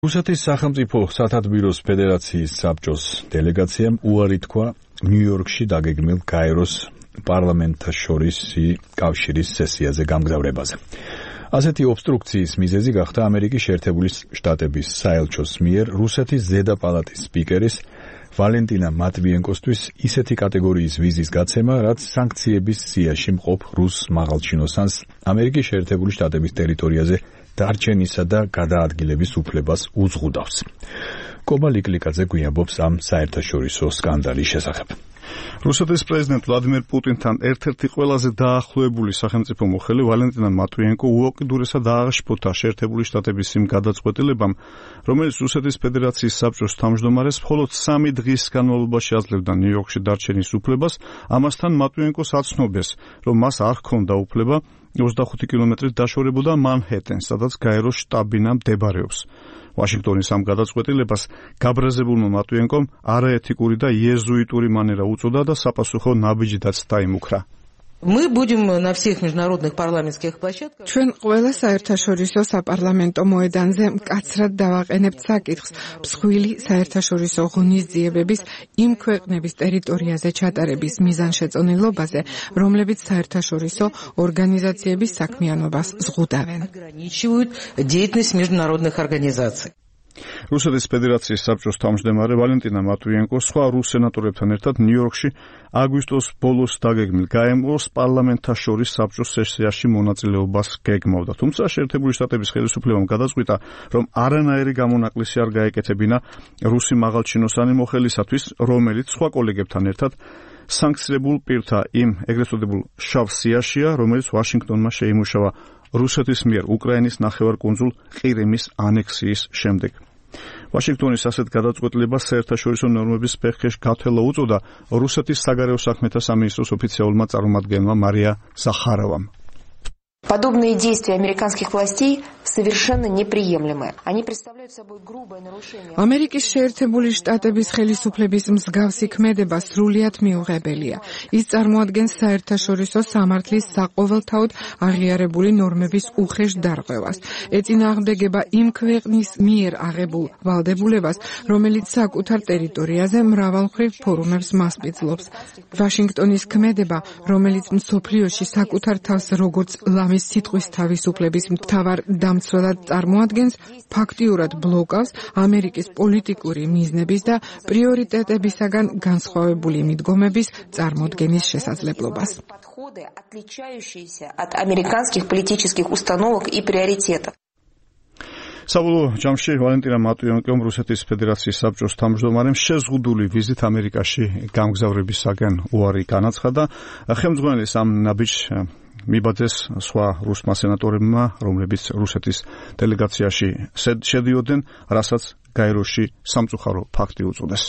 რუსეთის სახელმწიფო სათათბიროს ფედერაციის საბჭოს დელეგაციამ უარი თქვა ნიუ-იორკში დაგეგმილ გაეროს პარლამენტთა შორისი კავშირის სესიაზე გამგზავრებაზე. ასეთი ობსტრუქციის მიზეზი გახდა ამერიკის შეერთებული შტატების საელჩოს მიერ რუსეთის ზედა პალატის სპიკერის ვალენტინა მატვიენკოსთვის ისეთი კატეგორიის ვიზის გაცემა, რაც სანქციების სიაში მყოფ რუს მაღალჩინოსანს ამერიკის შეერთებული შტატების ტერიტორიაზე დარჩენისა და გადაადგილების უფლებას უზღუდავს. კობა ლიკლიკაძე გვიამბობს ამ საერთაშორისო სკანდალის შესახებ. რუსეთის პრეზიდენტ ვლადიმერ პუტინთან ერთ-ერთი ყველაზე დაახლოებული სახელმწიფო მოხელე ვალენტინა მატვიენკო უუკიდურესად ააღშფოთა შეერთებული შტატების იმ გადაწყვეტილებამ, რომელიც რუსეთის ფედერაციის საბჭოს თავმჯდომარეს მხოლოდ 3 დღის განმავლობაში აძლევდა ნიუ-იორკში დარჩენის უფლებას. ამასთან მატვიენკოს აცნობეს, რომ მას არ ჰქონდა უფლება 25 კილომეტრით დაშორებოდა მანჰეტენს, სადაც გაეროს შტაბ-ბინა მდებარეობს. ვაშინგტონის ამ გადაწყვეტილებას გაბრაზებულმა მატვიენკომ არაეთიკური და იეზუიტური მანერა უწოდა და საპასუხო ნაბიჯითაც დაიმუქრა. Мы будем на всех международных парламентских площадках. ჩვენ ყველა საერთაშორისო საპარლამენტო მოედანზე მკაცრად დავაყენებთ საკითხს მსხვილი საერთაშორისო ღონისძიებების იმ ქვეყნების ტერიტორიაზე ჩატარების მიზანშეწონილობაზე, რომლებიც საერთაშორისო ორგანიზაციების საქმიანობას ზღუდავენ. Ограничивают деятельность международных организаций. რუსეთის ფედერაციის საბჭოს თავმჯდომარე ვალენტინა მატვიენკო სხვა რუს სენატორებთან ერთად ნიუ-იორკში აგვისტოს ბოლოს დაგეგმილ გაეროს პარლამენტთა შორის საბჭოს სესიაში მონაწილეობას გეგმავდა. თუმცა შეერთებული შტატების ხელისუფლებამ გადაწყვიტა, რომ არანაირი გამონაკლისი არ გაეკეთებინა რუსი მაღალჩინოსანი მოხელისათვის, რომელიც სხვა კოლეგებთან ერთად სანქცირებულ პირთა იმ ეგრეთ წოდებულ შავ სიაშია, რომელიც ვაშინგტონმა შეიმუშავა რუსეთის მიერ უკრაინის ნახევარკუნძულ ყირიმის ანექსიის შემდეგ. ვაშინგტონის ასეთ გადაწყვეტილებას საერთაშორისო ნორმების ფეხში გათვლა უწოდა რუსეთის საგარეო საქმეთა სამინისტროს ოფიციალურმა წარმომადგენელმა მარია ზახარავამ. Подобные действия американских властей совершенно неприемлемы. Они представляют собой грубое нарушение. ამერიკის შეერთებული შტატების ხელისუფლების მსგავსი ქმედება სრულიად მიუღებელია. ის წარმოადგენს საერთაშორისო სამართლის საყოველთაოდ აღიარებული ნორმების უხეშ დარღვევას. ეწინააღმდეგება იმ ქვეყნის მიერ აღებულ ვალდებულებას, რომელიც საკუთარ ტერიტორიაზე მრავალმხრივ ფორუმებს მასპინძლობს. ვაშინგტონის ქმედება, რომელიც მსოფლიოში საკუთარ თავს როგორც ლამის სიტყვის თავისუფლების მთავარ დამცველად წარმოადგენს, ფაქტიურად ბლოკავს ამერიკის პოლიტიკური მიზნების და პრიორიტეტებისაგან განსხვავებული მიდგომების წარმოდგენის შესაძლებლობას. Отличающиеся от американских политических установок и приоритетов. საბოლოო ჯამში ვალენტინა მატვიენკომ რუსეთის ფედერაციის საბჭოს თავმჯდომარემ შეზღუდული ვიზით ამერიკაში გამგზავრებისაგან უარი განაცხადა. ხელმძღვანელის ამ ნაბიჯს მიბაძეს სხვა რუსმა სენატორებმა, რომლებიც რუსეთის დელეგაციაში შედიოდნენ, რასაც გაეროში სამწუხარო ფაქტი უწოდეს.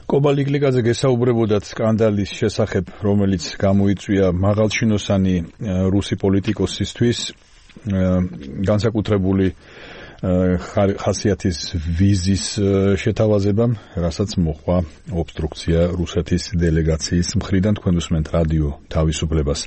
კობა ლიკლიკაძე გესაუბრებოდათ სკანდალის შესახებ, რომელიც გამოიწვია მაღალჩინოსანი რუსი პოლიტიკოსისთვის განსაკუთრებული ხასიათის ვიზის შეთავაზებამ, რასაც მოხდა ობსტრუქცია რუსეთის დელეგაციის მხრიდან. თქვენ უსმენთ რადიო თავისუფლებას.